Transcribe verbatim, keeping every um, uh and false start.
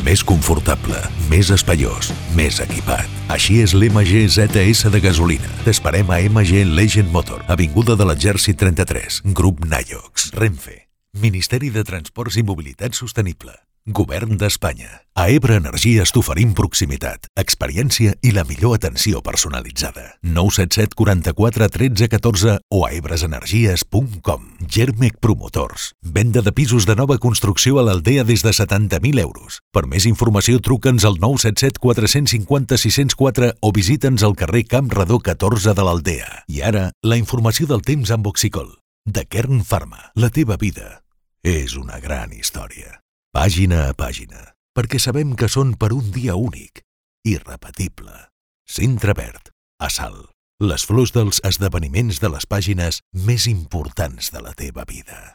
Més confortable, més espaiós, més equipat. Així és l'M G Z S de gasolina. T'esperem a M G Legend Motor, Avinguda de l'Exèrcit trenta-tres, Grup Nayox, Renfe, Ministeri de Transports i Mobilitat Sostenible, Govern d'Espanya. A Ebre Energies t'oferim proximitat, experiència i la millor atenció personalitzada. nou set set quaranta-quatre tretze catorze o a ebresenergies punt com. Germec Promotors. Venda de pisos de nova construcció a l'Aldea des de setanta mil euros. Per més informació truca'ns al nou set set quatre cinc zero sis zero quatre o visita'ns al carrer Camp Redó catorze de l'Aldea. I ara, la informació del temps amb Oxicol. De Kern Pharma. La teva vida és una gran història. Pàgina a pàgina, perquè sabem que són per un dia únic, irrepetible. Cintre Verd, a Salt, les flors dels esdeveniments de les pàgines més importants de la teva vida.